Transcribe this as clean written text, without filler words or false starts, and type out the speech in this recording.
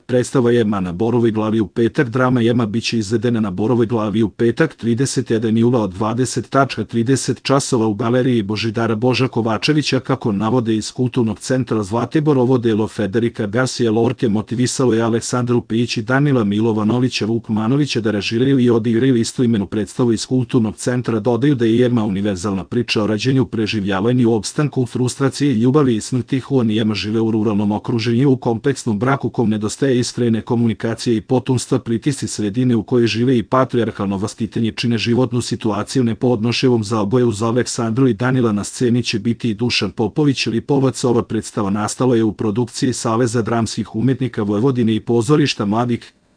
Predstava Jema na Borovoj glavi u petak. Drama Jema biće izvedena na Borovoj glavi u petak 31. jula od 20:30 časova u galeriji Božidara Boža Kovačevića. Kako navode iz Kulturnog centra Zlatibor, ovo delo Federica Garcia Lorke motivisalo je Aleksandru Pijić i Danila Milovanovića Vukmanovića da režiraju i odigraju istoimenu predstavu iz Kulturnog centra. Dodaju da je Jema univerzalna priča o rađenju, preživljavanju, opstanku, frustraciji, ljubavi i smrti. Juan i Jema žive u ruralnom okruženju, u kompleksnom braku kom nedostaje iskrene komunikacije i potomstva. Pritisci sredine u kojoj žive i patrijarhalno vaspitanje čine životnu situaciju nepodnošljivom za oboje. Uz Aleksandru i Danila na sceni će biti i Dušan Popović, Lipovac. Ova predstava nastala je u produkciji Saveza dramskih umetnika Vojvodine i Pozorišta mladih